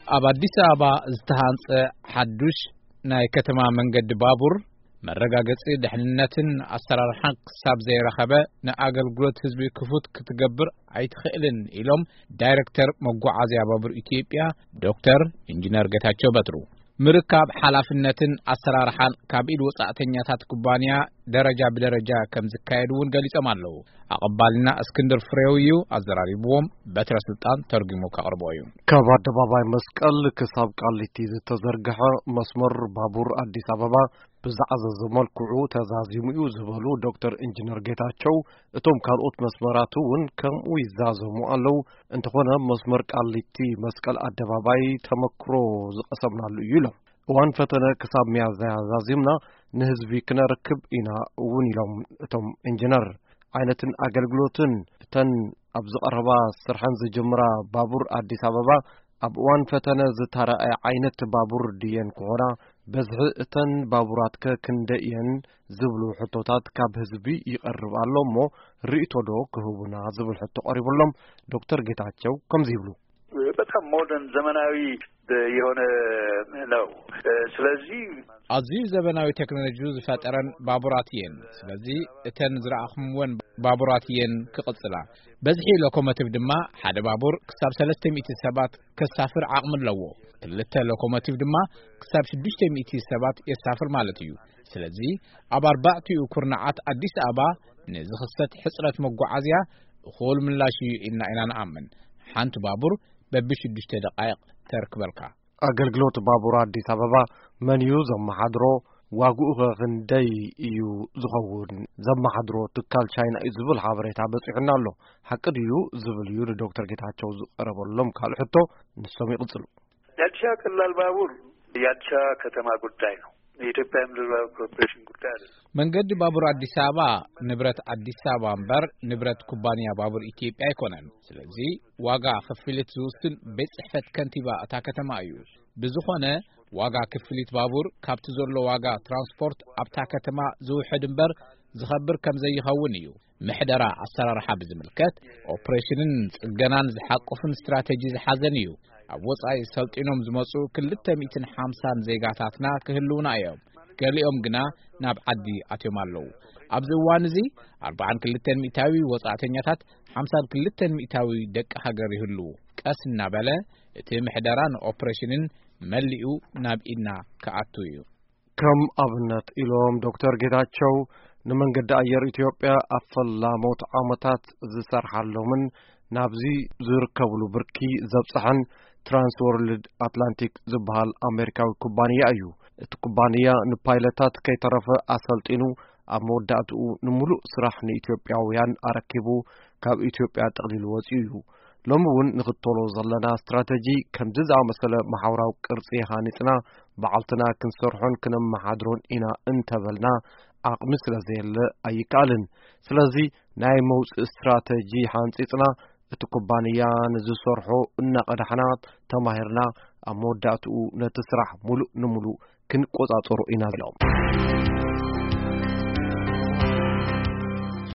ኣብ ኣዲስ ኣበባ ዝተሃንጸ ሓዱሽ ናይ ከተማ መንገዲ ባቡር መረጋገጺ ድሕንነትን ኣሰራርሓን ክሳብ ዘይረኸበ፣ ንኣገልግሎት ህዝቢ ክፉት ክትገብር ኣይትኽእልን ኢሎም ዳይሬክተር መጓዓዝያ ባቡር ኢትዮጵያ ዶክተር ኢንጂነር ጌታቸው በትሩ። ምርካብ ሓላፍነትን ኣሰራርሓን ካብ ኢድ ወጻእተኛታት ኩባንያ ደረጃ ብደረጃ ከም ዝካየድ እውን ገሊጾም ኣለዉ። ኣቐባልና እስክንድር ፍሬው እዩ፣ ኣዘራሪብዎም በትረ ስልጣን ተርጉሙ ከቕርቦ እዩ። ካብ ኣደባባይ መስቀል ክሳብ ቃሊቲ ዝተዘርግሐ መስመር ባቡር ኣዲስ ኣበባ ብዝዓዘዘ መልክዑ ተዛዚሙ እዩ ዝበሉ ዶክተር ኢንጂነር ጌታቸው፣ እቶም ካልኦት መስመራት እውን ከምኡ ይዛዘሙ ኣለዉ። እንተኾነ መስመር ቃሊቲ መስቀል ኣደባባይ ተመክሮ ዝቐሰምናሉ እዩ ኢሎም። እዋን ፈተነ ክሳብ ሚያዝያ ዛዚምና ንህዝቢ ክነርክብ ኢና እውን ኢሎም እቶም ኢንጂነር። ዓይነትን ኣገልግሎትን እተን ኣብ ዝቐረባ ስርሐን ዝጅምራ ባቡር ኣዲስ ኣበባ ኣብ እዋን ፈተነ ዝተራእየ ዓይነት ባቡር ድየን ክኾና፣ በዝሒ እተን ባቡራትከ ክንደይ እየን ዝብሉ ሕቶታት ካብ ህዝቢ ይቐርብ ኣሎ እሞ ርእይቶ ዶ ክህቡና ዝብል ሕቶ ቀሪቡሎም ዶክተር ጌታቸው ከምዚ ይብሉ። በጣም ሞደርን ዘመናዊ የሆነ ነው። ስለዚህ ኣዝዩ ዘመናዊ ቴክኖሎጂ ዝፈጠረን ባቡራት እየን። ስለዚ እተን ዝረኣኹምወን ባቡራት እየን ክቕጽላ። በዝሒ ሎኮሞቲቭ ድማ ሓደ ባቡር ክሳብ ሰለስተ ሚእቲ ሰባት ከሳፍር ዓቕሚ ኣለዎ። ክልተ ሎኮሞቲቭ ድማ ክሳብ ሽዱሽተ ሚእቲ ሰባት የሳፍር ማለት እዩ። ስለዚ ኣብ ኣርባዕቲኡ ኩርናዓት ኣዲስ ኣበባ ንዝኽሰት ሕጽረት መጓዓዝያ እኹል ምላሽ እዩ ኢልና ኢና ንኣምን። ሓንቲ ባቡር በብሽዱሽተ ደቃይቕ ተርክበልካ። ኣገልግሎት ባቡር ኣዲስ ኣበባ መን እዩ ዘመሓድሮ? ዋግኡኸ ክንደይ እዩ ዝኸውን? ዘመሓድሮ ትካል ቻይና እዩ ዝብል ሓበሬታ በጺሑና ኣሎ። ሓቂ ድዩ ዝብል እዩ ንዶክተር ጌታቸው ዝቐረበሎም ካልእ ሕቶ። ንሶም ይቕጽሉ። የአዲስ አበባ ቀላል ባቡር የአዲስ አበባ ከተማ ጉዳይ ነው። የኢትዮጵያ ምድር ባቡር ኮርፖሬሽን ጉዳይ አይደለም። መንገዲ ባቡር ኣዲስ ኣበባ ንብረት ኣዲስ ኣበባ እምበር ንብረት ኩባንያ ባቡር ኢትዮጵያ ኣይኮነን። ስለዚ ዋጋ ክፍሊት ዝውስን ቤት ጽሕፈት ከንቲባ እታ ከተማ እዩ። ብዝኾነ ዋጋ ክፍሊት ባቡር ካብቲ ዘሎ ዋጋ ትራንስፖርት ኣብታ ከተማ ዝውሕድ እምበር ዝኸብር ከም ዘይኸውን እዩ። ምሕደራ ኣሰራርሓ ብዝምልከት ኦፕሬሽንን ጽገናን ዝሓቁፍን ስትራተጂ ዝሓዘን እዩ። ኣብ ወጻኢ ሰልጢኖም ዝመጹ ክልተ ሚእትን ሓምሳን ዜጋታትና ክህልውና እዮም። ገሊኦም ግና ናብ ዓዲ ኣትዮም ኣለዉ። ኣብዚ እዋን እዚ ኣርባዓን ክልተን ሚእታዊ ወጻእተኛታት፣ ሓምሳን ክልተን ሚእታዊ ደቂ ሃገር ይህልዉ። ቀስ እናበለ እቲ ምሕደራ ንኦፕሬሽንን መሊኡ ናብ ኢድና ክኣቱ እዩ። ከም ኣብነት ኢሎም ዶክተር ጌታቸው፣ ንመንገዲ ኣየር ኢትዮጵያ ኣብ ፈላሞት ዓመታት ዝሰርሓሎምን ናብዚ ዝርከብሉ ብርኪ ዘብጽሐን ትራንስወርልድ ኣትላንቲክ ዝበሃል ኣሜሪካዊ ኩባንያ እዩ። እቲ ኩባንያ ንፓይለታት ከይተረፈ ኣሰልጢኑ ኣብ መወዳእትኡ ንምሉእ ስራሕ ንኢትዮጵያውያን ኣረኪቡ ካብ ኢትዮጵያ ጠቕሊሉ ወጺኡ እዩ። ሎሚ እውን ንኽተሎ ዘለና ስትራተጂ ከምዚ ዝኣመሰለ ማሕበራዊ ቅርጺ ሃኒጽና ባዕልትና ክንሰርሖን ክነመሓድሮን ኢና እንተበልና ዓቕሚ ስለ ዘየለ ኣይከኣልን። ስለዚ ናይ መውጽኢ ስትራተጂ ሓንጺጽና እቲ ኩባንያ ንዝሰርሖ እናቐዳሕና ተማሂርና ኣብ መወዳእትኡ ነቲ ስራሕ ሙሉእ ንሙሉእ ክንቆጻጸሮ ኢና ኢሎም።